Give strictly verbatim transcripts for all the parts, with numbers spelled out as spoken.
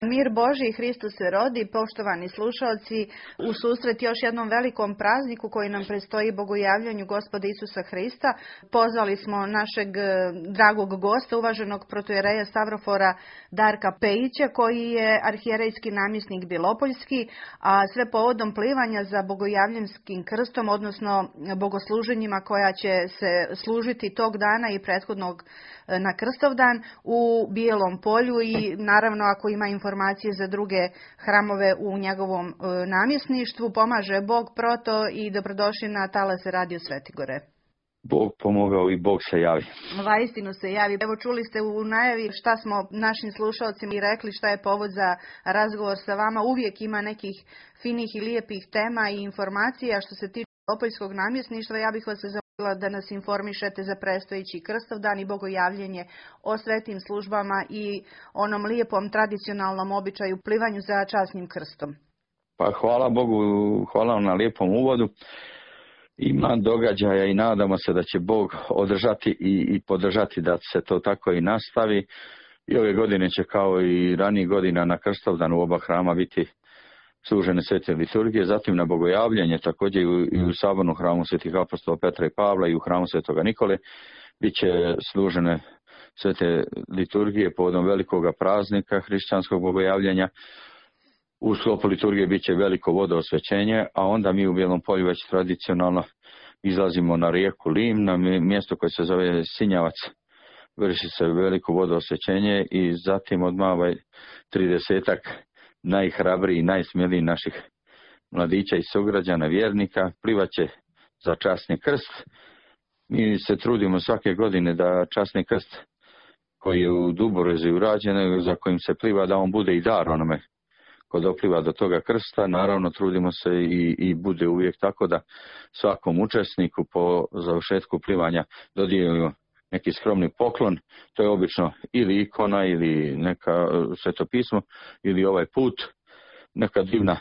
Mir Božji, Hristos se rodi, poštovani slušalci, u susret još jednom velikom prazniku koji nam predstoji bogojavljanju Gospoda Isusa Hrista. Pozvali smo našeg dragog gosta, uvaženog protojereja Stavrofora Darka Pejića, koji je arhijerejski namjesnik Bilopoljski, a sve povodom plivanja za bogojavljanskim krstom, odnosno bogosluženjima koja će se služiti tog dana i prethodnog na Krstovdan u Bijelom Polju i naravno ako ima informacije za druge hramove u njegovom namjesništvu. Pomaže Bog, proto, i dobrodošli na talase Radio Svetigore. Bog pomogao i Bog se javi. Vaistinu se javi. Evo, čuli ste u najavi šta smo našim slušalcima i rekli šta je povod za razgovor sa vama. Uvijek ima nekih finih i lijepih tema i informacija što se tiče Bilopoljskog namjesništva. Ja bih vas zamolila da nas informišete za predstojeći Krstovdan i bogojavljenje o svetim službama i onom lijepom tradicionalnom običaju plivanju za časnim krstom. Pa hvala Bogu, hvala vam na lijepom uvodu. Ima događaja i nadamo se da će Bog održati i, i podržati da se to tako i nastavi. I ove godine će kao i ranijih godina na Krstovdan u oba hrama biti služene svete liturgije, zatim na bogojavljanje također i u, i u sabornom hramu svetih apostola Petra i Pavla i u hramu svetoga Nikole bit će služene svete liturgije povodom velikoga praznika hrišćanskog bogojavljanja. U sklopu liturgije bit će veliko vodoosvećenje, a onda mi u Bijelom Polju već tradicionalno izlazimo na rijeku Lim, na mjesto koje se zove Sinjavac. Vrši se veliko vodoosvećenje i zatim odmah ovaj tridesetak najhrabriji i najsmjeliji naših mladića i sugrađana vjernika plivaće za časni krst. Mi se trudimo svake godine da časni krst koji je u Duborezi urađen, za kojim se pliva, da on bude i dar onome ko dopliva do toga krsta. Naravno trudimo se i, i bude uvijek tako da svakom učesniku po završetku plivanja dodijelimo neki skromni poklon. To je obično ili ikona ili neka svetopismo ili ovaj put, neka divna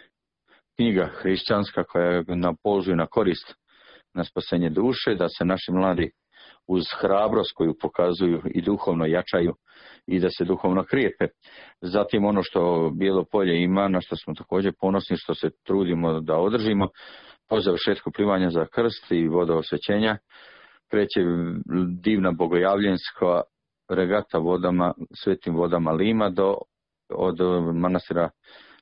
knjiga hrišćanska koja je na polzu i na korist na spasenje duše, da se naši mladi uz hrabrost koju pokazuju i duhovno jačaju i da se duhovno krijepe. Zatim ono što Bijelo Polje ima, na što smo također ponosni, što se trudimo da održimo, po završetku plivanja za krst i vodoosvećenja kreće divna bogojavljenska regata vodama, svetim vodama Lima do, od manastira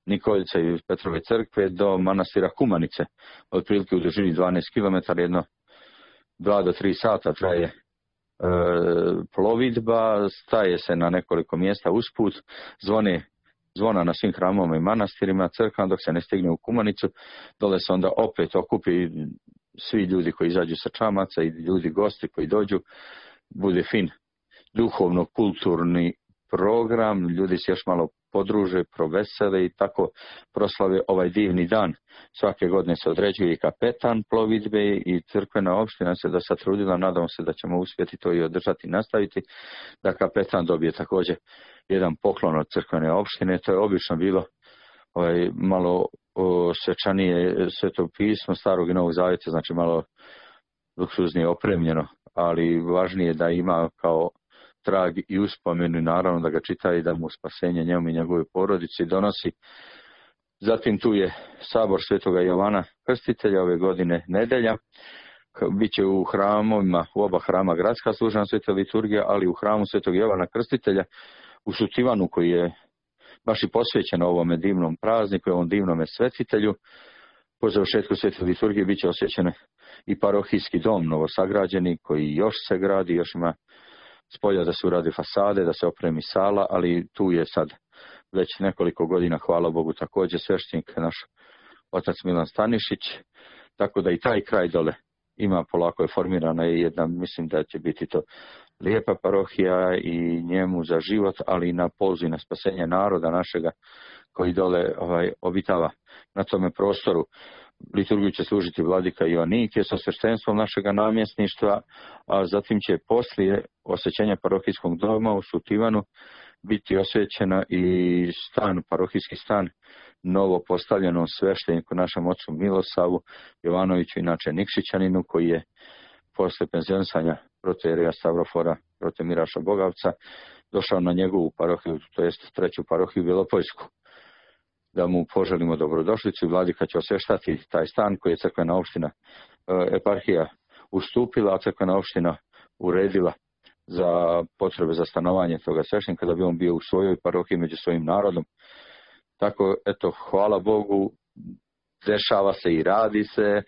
Nikolice i Petrove crkve do manastira Kumanice. Otprilike u dužini dvanaest kilometara, jedno dva do tri sata traje e, plovidba, staje se na nekoliko mjesta usput, zvone zvona na svim hramovima i manastirima, crkvama, dok se ne stigne u Kumanicu. Dole se onda opet okupi svi ljudi koji izađu sa čamaca i ljudi gosti koji dođu. Bude fin duhovno-kulturni program, ljudi se još malo podruže, provesele i tako proslave ovaj divni dan. Svake godine se određuje i kapetan plovidbe i crkvena opština se da sad trudila, nadamo se da ćemo uspjeti to i održati i nastaviti, da kapetan dobije također jedan poklon od crkvene opštine. To je obično bilo ovaj, malo o, svečanije svetopismo Starog i Novog Zavjeta, znači malo luksuznije opremljeno, ali važnije da ima kao trag i uspomenu i naravno da ga čita i da mu spasenje njemu i njegove porodici donosi. Zatim tu je sabor svetoga Jovana Krstitelja ove godine nedelja. Biće u hramovima, u oba hrama gradska služena sveta liturgija, ali u hramu svetog Jovana Krstitelja u Sutivanu koji je baš i posvećen ovome divnom prazniku i ovom divnome svetitelju. Po završetku svete liturgije bit će osvećen i parohijski dom novosagrađeni koji još se gradi, još ima spolja da se uradi fasade, da se opremi sala, ali tu je sad već nekoliko godina, hvala Bogu, također sveštenik naš otac Milan Stanišić, tako da i taj kraj dole ima, polako je formirana i jedna, mislim da će biti to lijepa parohija i njemu za život, ali i na polzu i na spasenje naroda našega koji dole ovaj, obitava na tome prostoru. Liturgiju će služiti vladika Joanike sa sveštenstvom našega namjesništva, a zatim će poslije osvećenja parohijskog doma u Sutivanu biti osvećena i stan, parohijski stan novo postavljenom svešteniku našem ocu Milosavu Jovanoviću, inače Nikšićaninu, koji je posle penzionisanja protoijereja Stavrofora prote Miraša Bogavca došao na njegovu parohiju, to jest treću parohiju Bjelopojsku, da mu poželimo dobrodošlicu. Vladika će osveštati taj stan koji je crkvena opština, eparhija ustupila, a crkvena opština uredila za potrebe za stanovanje toga sveštenika, da bi on bio u svojoj parohiji među svojim narodom. Tako, eto, hvala Bogu, dešava se i radi se.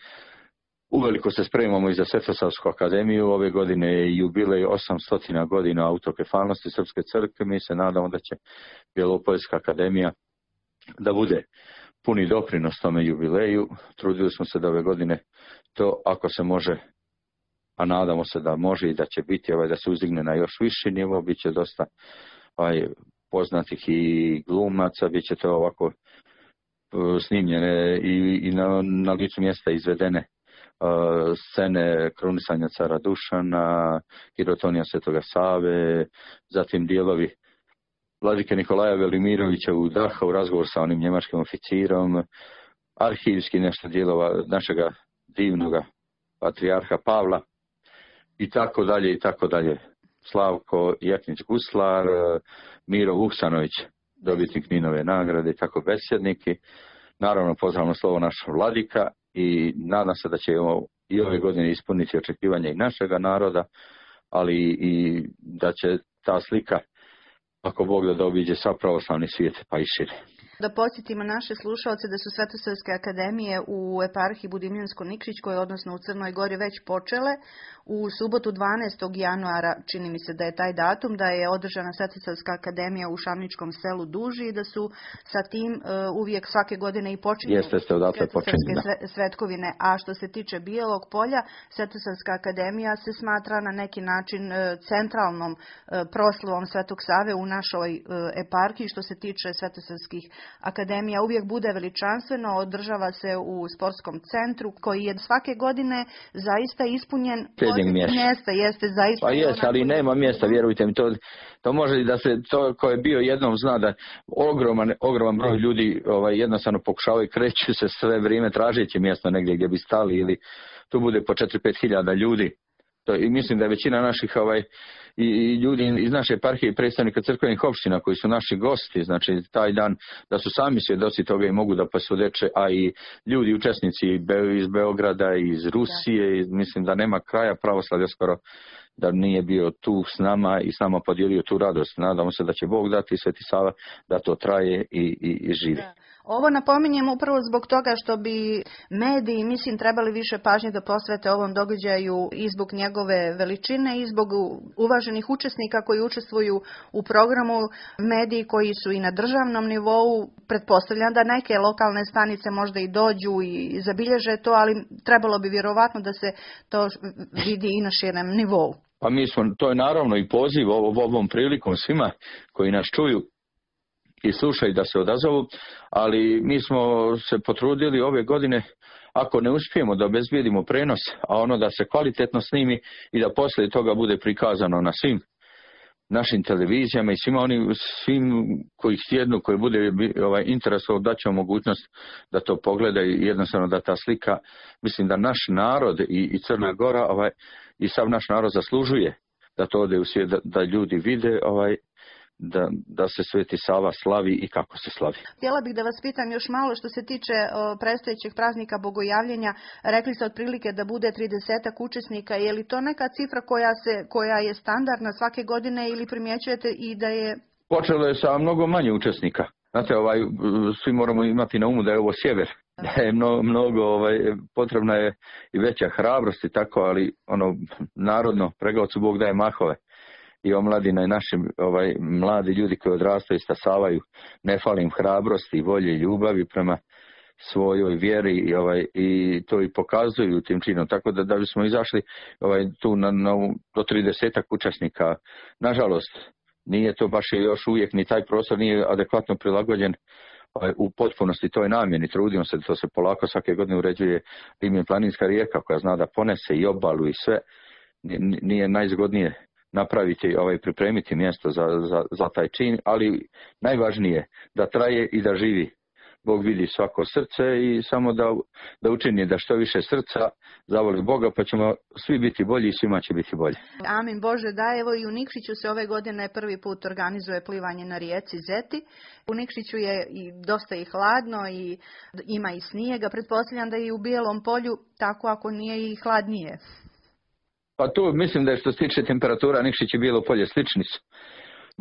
Uveliko se spremamo i za Svetosavsku akademiju. Ove godine je jubilej osamsto godina autokefalnosti Srpske crkve. Mi se nadamo da će Bjelopojska akademija da bude puni doprinos tome jubileju. Trudili smo se da ove godine to, ako se može, a nadamo se da može i da će biti, ovaj, da se uzdigne na još viši nivo, bit će dosta ovaj, poznatih i glumaca, bit će to ovako snimljene i, i na, na licu mjesta izvedene uh, scene krunisanja cara Dušana, Hirotonija Svetoga Save, zatim dijelovi Vladike Nikolaja Velimirovića u Daha u razgovor sa onim njemačkim oficirom, arhivski nešto dijelova našega divnoga patrijarha Pavla i tako dalje i tako dalje. Slavko Jaknić Guslar, Miro Vuksanović, dobitnik Ninove nagrade i tako besjedniki. Naravno, pozdravno slovo našeg vladika i nadam se da će i ove godine ispuniti očekivanja i našega naroda, ali i da će ta slika, ako Bog da, obiđe sav pravoslavni svijet pa i šire. Da podsjetimo naše slušalce da su Svetosavske akademije u eparhiji Budimljansko-Nikšićkoj, odnosno u Crnoj Gori, već počele. U subotu dvanaestog januara, čini mi se da je taj datum, da je održana Svetosavska akademija u Šamničkom selu Duži i da su sa tim uh, uvijek svake godine i počinju Jeste, ste odatle počinju, da. Svetkovine. A što se tiče Bijelog polja, Svetosavska akademija se smatra na neki način uh, centralnom uh, proslavom Svetog Save u našoj uh, eparhiji. Što se tiče Svetosavskih akademija, uvijek bude veličanstveno, održava se u sportskom centru koji je svake godine zaista ispunjen. Mjesta, jeste zaista. Pa jest, ali nema mjesta, vjerujte mi, to, to može da se, to ko je bio jednom zna da ogroman, ogroman broj ljudi ovaj, jednostavno pokušavaju, kreću se sve vrijeme tražeći mjesto negdje gdje bi stali, ili tu bude po četiri do pet hiljada ljudi. To, i mislim da je većina naših ovaj, i, i ljudi iz naše eparhije i predstavnika crkvenih opština koji su naši gosti, znači taj dan, da su sami svjedoci toga i mogu da posvjedoče, a i ljudi učesnici iz Beograda, iz Rusije, i mislim da nema kraja pravoslavlja skoro da nije bio tu s nama i s nama podijelio tu radost. Nadamo se da će Bog dati, Sveti Sava, da to traje i, i, i živi. Da. Ovo napominjem upravo zbog toga što bi mediji, mislim, trebali više pažnje da posvete ovom događaju i zbog njegove veličine i zbog uvaženih učesnika koji učestvuju u programu, mediji koji su i na državnom nivou. Pretpostavljam da neke lokalne stanice možda i dođu i zabilježe to, ali trebalo bi vjerovatno da se to vidi i na širem nivou. Pa mi smo, to je naravno i poziv ovom prilikom svima koji nas čuju i slušaju da se odazovu, ali mi smo se potrudili ove godine, ako ne uspijemo da obezbijedimo prenos, a ono da se kvalitetno snimi i da poslije toga bude prikazano na svim našim televizijama i svima oni, svim koji sjednu, koji bude ovaj, interesovao, da će mogućnost da to pogledaju i jednostavno da ta slika, mislim da naš narod i, i Crna Gora ovaj, i sav naš narod zaslužuje da to ode u svijet, da, da ljudi vide ovaj, Da, da se Sveti Sava slavi i kako se slavi. Htjela bih da vas pitam još malo što se tiče o, predstojećeg praznika Bogojavljenja. Rekli ste otprilike da bude tridesetak učesnika. Je li to neka cifra koja, se, koja je standardna svake godine ili primjećujete i da je... Počelo je sa mnogo manje učesnika. Znate, ovaj, svi moramo imati na umu da je ovo sjever. Da je mnogo, mnogo ovaj, potrebna je i veća hrabrost i tako, ali ono narodno, preglavcu Bog daje mahove. I omladina i naši ovaj, mladi ljudi koji odrastaju i stasavaju, ne fali im hrabrosti, volje i ljubavi prema svojoj vjeri i, ovaj, i to i pokazuju tim činom. Tako da da bismo izašli ovaj, tu na, na, do tridesetak učesnika, nažalost, nije to baš još uvijek, ni taj prostor nije adekvatno prilagođen ovaj, u potpunosti toj namjeni. Trudimo se da to se polako svake godine uređuje Rimljen planinska rijeka koja zna da ponese i obalu i sve. Nije najzgodnije napraviti, ovaj, pripremiti mjesto za, za, za taj čin, ali najvažnije da traje i da živi. Bog vidi svako srce i samo da, da učini da što više srca zavoli Boga, pa ćemo svi biti bolji i svima će biti bolje. Amin Bože da, evo i u Nikšiću se ove godine prvi put organizuje plivanje na rijeci Zeti. U Nikšiću je i dosta i hladno i ima i snijega. Pretpostavljam da i u Bijelom Polju, tako ako nije i hladnije. Pa tu mislim da je što se tiče temperatura Nikšić i Bijelo Polje slični su.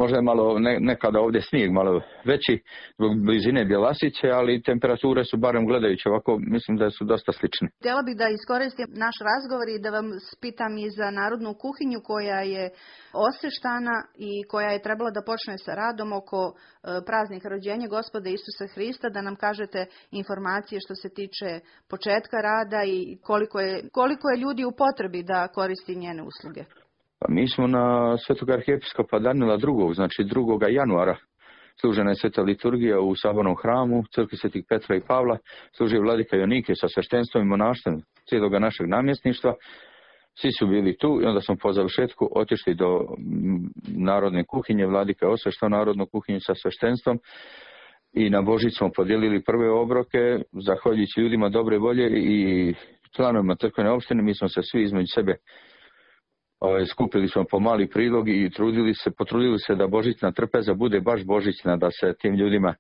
Možda je malo ne, nekada ovdje snijeg malo veći zbog blizine Bjelasice, ali temperature su barem gledajući ovako, mislim da su dosta slične. Htjela bih da iskoristim naš razgovor i da vam spitam i za narodnu kuhinju koja je osveštana i koja je trebala da počne sa radom oko e, praznika rođenja Gospoda Isusa Hrista, da nam kažete informacije što se tiče početka rada i koliko je, koliko je ljudi u potrebi da koristi njene usluge. Pa mi smo na svetog arhijepiskopa Danila drugog, znači drugog januara. Služena je sveta liturgija u sabornom hramu, crkvi svetih Petra i Pavla, služi vladika Jonike sa sveštenstvom i monaštvom cijelog našeg namjesništva. Svi su bili tu i onda smo po završetku otišli do narodne kuhinje, vladika je osveštao narodnu kuhinju sa sveštenstvom i na Božić smo podijelili prve obroke, zahvaljujući ljudima dobre volje i članovima crkvene opštine. Mi smo se svi između sebe Ove, skupili smo po mali prilog i trudili se, potrudili se da božićna trpeza bude baš božićna, da se tim ljudima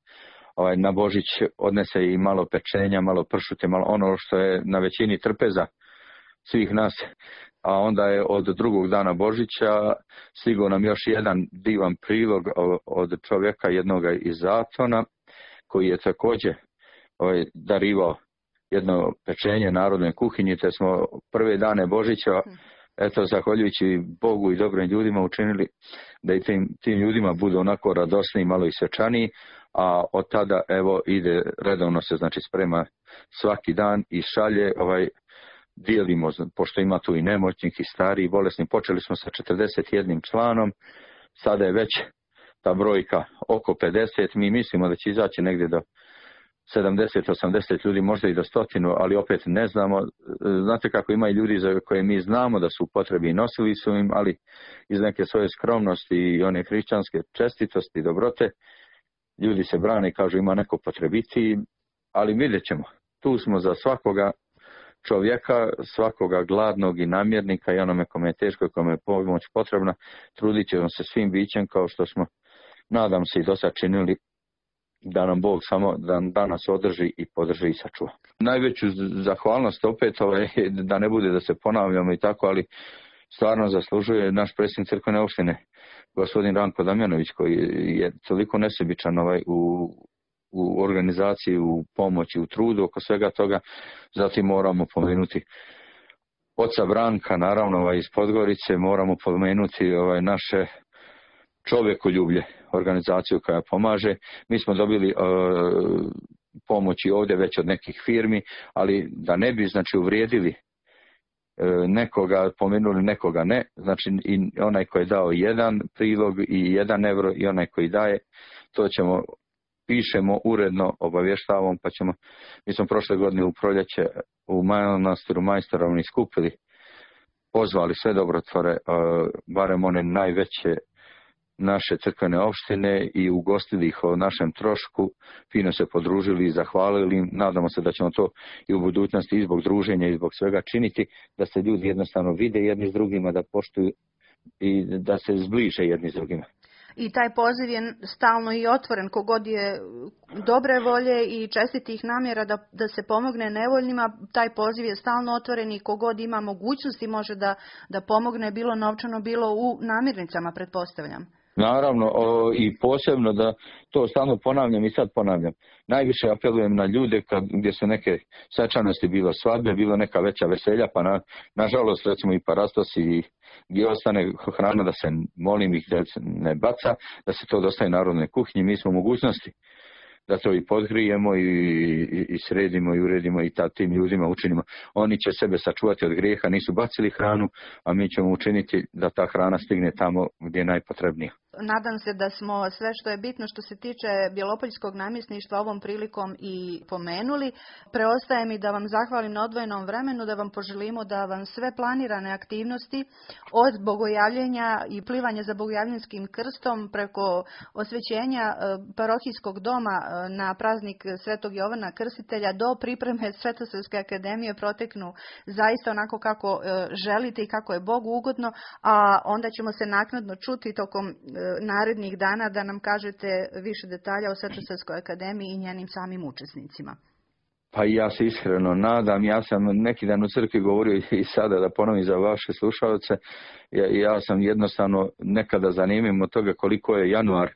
ovaj, na Božić odnese i malo pečenja, malo pršute, malo ono što je na većini trpeza svih nas. A onda je od drugog dana Božića stigao nam još jedan divan prilog od čovjeka jednoga iz Zatona, koji je također ovaj, darivao jedno pečenje narodne kuhinje, te smo prve dane Božića, eto, zahvaljujući Bogu i dobrim ljudima učinili da i tim, tim ljudima budu onako radosni, malo i svečaniji, a od tada evo ide redovno se znači sprema svaki dan i šalje, ovaj, dijelimo, pošto ima tu i nemoćnih i starih i bolesnih, počeli smo sa četrdeset jednim članom, sada je već ta brojka oko pedeset, mi mislimo da će izaći negdje do sedamdeset osamdeset ljudi, možda i do stotinu, ali opet ne znamo. Znate kako ima i ljudi za koje mi znamo da su u potrebi i nosili su im, ali iz neke svoje skromnosti i one hrišćanske čestitosti i dobrote, ljudi se brane i kažu ima neko potrebiti, ali vidjet ćemo. Tu smo za svakoga čovjeka, svakoga gladnog i namjernika i onome kome je teško i kome je pomoć potrebna, trudit ćemo se svim bićem kao što smo, nadam se, i do sad činili, da nam Bog samo da, da nas održi i podrži i sačuva. Najveću zahvalnost opet, ovaj, da ne bude da se ponavljamo i tako, ali stvarno zaslužuje naš predsjednik crkvene opštine, gospodin Ranko Damjanović, koji je toliko nesebičan ovaj, u, u organizaciji, u pomoći, u trudu oko svega toga. Zatim moramo pomenuti oca Branka, naravno ovaj, iz Podgorice, moramo pomenuti ovaj, naše čovjekoljublje, organizaciju koja pomaže. Mi smo dobili uh, pomoći ovdje već od nekih firmi, ali da ne bi znači uvrijedili uh, nekoga, pomenuli nekoga ne, znači i onaj koji je dao jedan prilog i jedan euro i onaj koji daje, to ćemo, pišemo uredno, obavještavamo, pa ćemo, mi smo prošle godine u proljeće u manastiru Majstorovni skupili, pozvali sve dobrotvore, uh, barem one najveće naše crkvene opštine i ugostili ih o našem trošku, fino se podružili i zahvalili im. Nadamo se da ćemo to i u budućnosti i zbog druženja i zbog svega činiti, da se ljudi jednostavno vide jedni s drugima, da poštuju i da se zbliže jedni s drugima. I taj poziv je stalno i otvoren, kogod je dobre volje i čestitih namjera da, da se pomogne nevoljnima, taj poziv je stalno otvoren i kogod ima mogućnosti može da, da pomogne, bilo novčano, bilo u namirnicama, pretpostavljam. Naravno, o, i posebno da to stalno ponavljam i sad ponavljam. Najviše apelujem na ljude kad, gdje su neke svečanosti, bilo svadbe, bilo neka veća veselja, pa na, nažalost recimo i parastos i gdje ostane hrana da se, molim ih da se ne baca, da se to dostaje narodnoj kuhinji. Mi smo u mogućnosti da to i podgrijemo i, i, i sredimo i uredimo i ta, tim ljudima učinimo. Oni će sebe sačuvati od grijeha, nisu bacili hranu, a mi ćemo učiniti da ta hrana stigne tamo gdje je najpotrebnija. Nadam se da smo sve što je bitno što se tiče Bjelopoljskog namjesništva ovom prilikom i pomenuli. Preostaje mi da vam zahvalim na odvojenom vremenu, da vam poželimo da vam sve planirane aktivnosti od bogojavljenja i plivanja za bogojavljanskim krstom preko osvećenja parohijskog doma na praznik Svetog Jovana Krstitelja do pripreme Svetosavske akademije proteknu zaista onako kako želite i kako je Bogu ugodno, a onda ćemo se naknadno čuti tokom narednih dana da nam kažete više detalja o Svetosavskoj akademiji i njenim samim učesnicima. Pa ja se iskreno nadam, ja sam neki dan u crkvi govorio i sada da ponovim za vaše slušalce, ja, ja sam jednostavno nekada zanimljiv od toga koliko je januar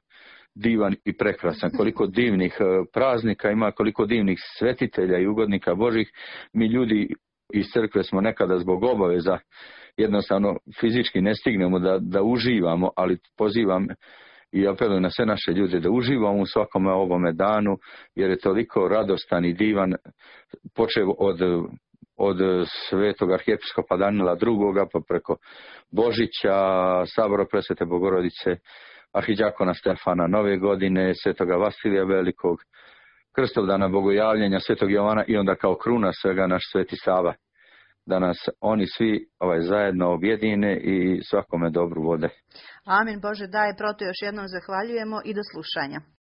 divan i prekrasan, koliko divnih praznika ima, koliko divnih svetitelja i ugodnika Božih. Mi ljudi iz crkve smo nekada zbog obaveza jednostavno fizički ne stignemo da, da uživamo, ali pozivam i apelujem na sve naše ljude da uživamo u svakome ovome danu, jer je toliko radostan i divan, počev od, od svetog arhijepiskopa Danila drugoga pa preko Božića, Sabora Presvete Bogorodice, arhidjakona Stefana Nove godine, svetoga Vasilija Velikog, Krstovdana Bogojavljenja, svetog Jovana i onda kao kruna svega naš sveti Sava. Da nas oni svi ovaj, zajedno objedine i svakome dobru vode. Amin Bože daj, proto još jednom zahvaljujemo i do slušanja.